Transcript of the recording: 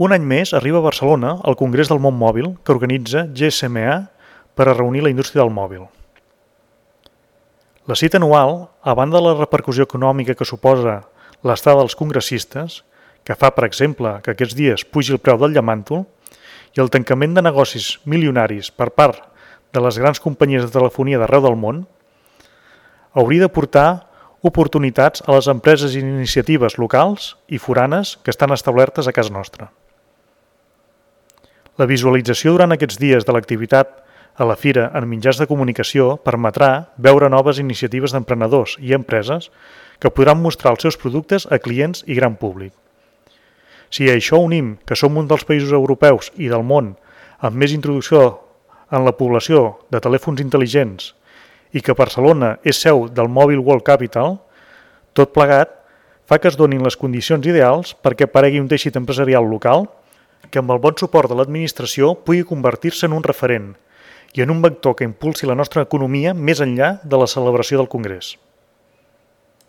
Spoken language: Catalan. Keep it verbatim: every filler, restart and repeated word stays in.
Un any més arriba a Barcelona el Congrés del Món Mòbil que organitza G S M A per a reunir la indústria del mòbil. La cita anual, a banda de la repercussió econòmica que suposa l'estada dels congressistes, que fa, per exemple, que aquests dies pugi el preu del llamàntol, i el tancament de negocis milionaris per part de les grans companyies de telefonia d'arreu del món, hauria de portar oportunitats a les empreses i iniciatives locals i foranes que estan establertes a casa nostra. La visualització durant aquests dies de l'activitat a la fira en mitjans de comunicació permetrà veure noves iniciatives d'emprenedors i empreses que podran mostrar els seus productes a clients i gran públic. Si a això unim que som un dels països europeus i del món amb més introducció en la població de telèfons intel·ligents i que Barcelona és seu del Mobile World Capital, tot plegat fa que es donin les condicions ideals perquè aparegui un teixit empresarial local que amb el bon suport de l'administració pugui convertir-se en un referent i en un vector que impulsi la nostra economia més enllà de la celebració del Congrés.